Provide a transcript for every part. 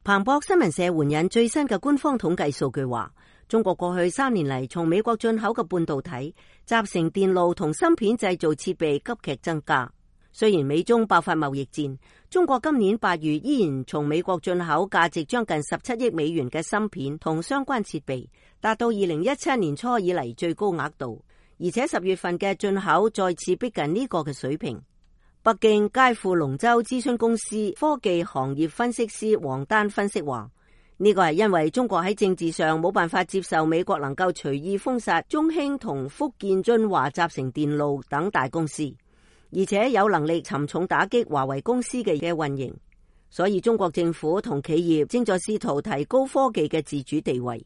彭博新聞社援引最新嘅官方統計數據話，中國過去3年嚟從美國進口嘅半導體、集成電路同芯片製造設備急劇增加。雖然美中爆發貿易戰，中國今年8月依然從美國進口價值將近17億美元嘅芯片同相關設備，達到2017年初以嚟最高額度，而且10月份嘅進口再次逼近呢個嘅水平。北京佳富龍州諮詢公司科技行業分析師王丹分析話，呢個係因為中國喺政治上冇辦法接受美國能夠隨意封殺中興同福建晉華集成電路等大公司，而且有能力沉重打擊華為公司嘅運營，所以中國政府同企業正在試圖提高科技嘅自主地位。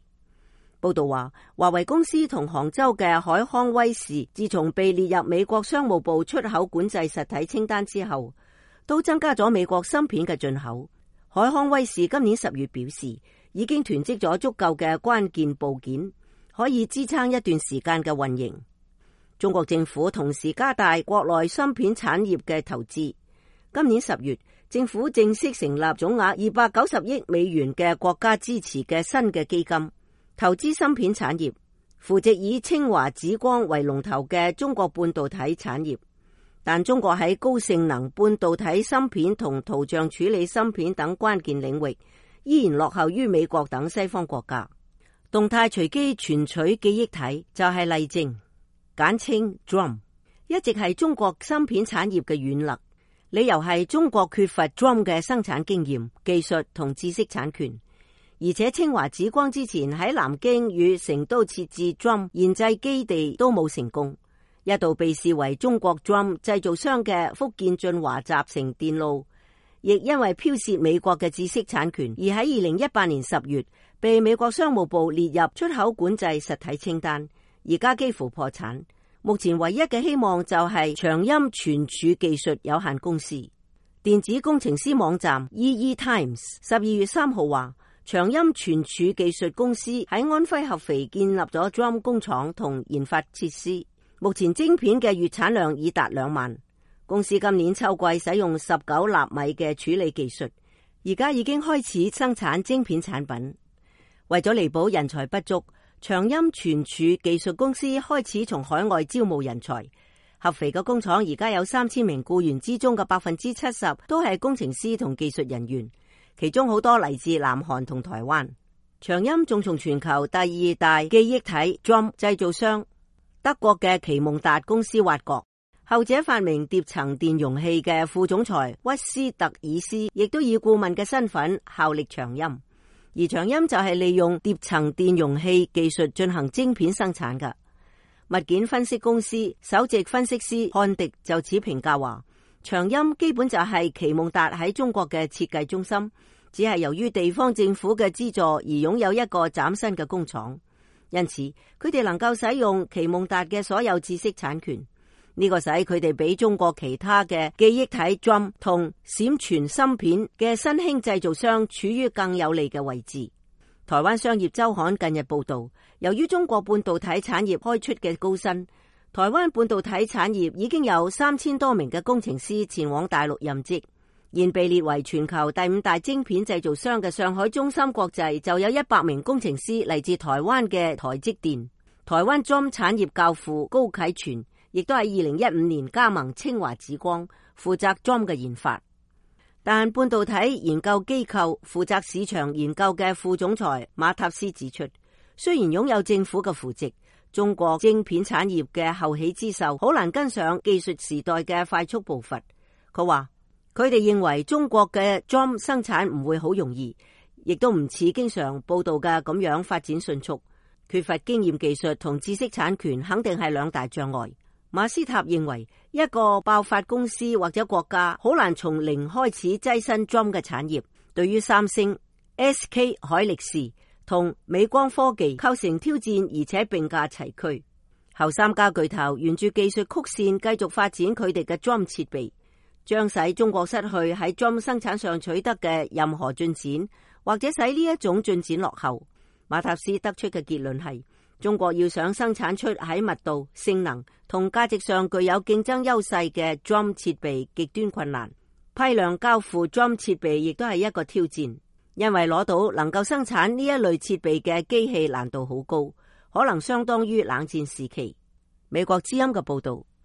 報道話，華為公司同杭州嘅海康威視自從被列入美國商務部出口管制實體清單之後，都增加咗美國芯片嘅進口。海康威視今年10月表示，已經囤積咗足夠嘅關鍵部件，可以支撐一段時間嘅運營。中國政府同時加大國內芯片產業嘅投資。今年10月，政府正式成立總額290億美元嘅國家支持嘅新嘅基金，投資芯片產業，扶植以清華紫光為龍頭嘅中國半導體產業。但中國喺高性能半導體芯片同圖像處理芯片等關鍵領域，依然落後於美國等西方國家。動態隨機存取記憶體就係例證，簡稱 DRAM， 一直係中國芯片產業嘅軟肋。理由係中國缺乏 DRAM 嘅生產經驗、技術同知識產權。而且清華紫光之前喺南京與成都設置 DRAM 研製基地都冇成功，一度被視為中國 DRAM 製造商嘅福建晉華集成電路，亦因為剽竊美國嘅知識產權，而喺2018年10月被美國商務部列入出口管制實體清單，而家幾乎破產。目前唯一嘅希望就係長鑫存儲技術有限公司。電子工程師網站 EE Times 12月3號話，長鑫存儲技術公司喺安徽合肥建立咗 DRAM 工廠同研發設施，目前晶片嘅月產量已達2萬。公司今年秋季使用19納米嘅處理技術，而家已經開始生產晶片產品。為咗彌補人才不足，長鑫存儲技術公司開始從海外招募人才。合肥嘅工廠而家有3000名僱員之中嘅70%都係工程師同技術人員，其中好多嚟自南韓同台灣。長鑫仲從全球第2大記憶體 DRAM 製造商德國嘅奇夢達公司挖角，後者發明疊層電容器嘅副總裁屈斯特爾斯亦都以顧問嘅身份效力長鑫，而長鑫就係利用疊層電容器技術進行晶片生產嘅。物件分析公司首席分析師漢迪就此評價話，長鑫基本就係奇夢達喺中國嘅設計中心，只係由於地方政府嘅資助而擁有一個嶄新嘅工廠，因此佢哋能夠使用奇夢達嘅所有知識產權，呢個使佢哋比中國其他嘅記憶體 DRAM 同閃存芯片嘅新興製造商處於更有利嘅位置。台灣商業週刊近日報道，由於中國半導體產業開出嘅高薪，台灣半導體產業已經有3000多名嘅工程師前往大陸任職。現被列為全球第5大晶片製造商嘅上海中芯國際就有100名工程師嚟自台灣嘅台積電。台灣 DRAM 產業教父高啟全亦都喺2015年加盟清華紫光，負責 DRAM 嘅研發。但半導體研究機構負責市場研究嘅副總裁馬塔斯指出，雖然擁有政府嘅扶植，中國晶片產業嘅後起之秀好難跟上技術時代嘅快速步伐。佢話佢哋認為中國嘅 DRAM 生產唔會好容易，亦都唔似經常報道嘅咁樣發展迅速，缺乏經驗技術同知識產權肯定係2大障礙。馬斯塔認為，一個爆發公司或者國家好難從零開始躋身 DRAM 嘅產業，對於三星、SK 海力士同美光科技構成挑戰，而且並駕齊驅。後3家巨頭沿住技術曲線繼續發展佢哋嘅 DRAM 設備，將使中國失去喺 DRAM 生產上取得嘅任何進展，或者使呢一種進展落後。馬塔斯得出嘅結論係，中國要想生產出喺密度、性能同價值上具有競爭優勢嘅 DRAM 設備極端困難，批量交付 DRAM 設備亦都係一個挑戰。因為攞到能夠生產呢一類設備嘅機器難度好高，可能相當於冷戰時期。美國之音嘅報道。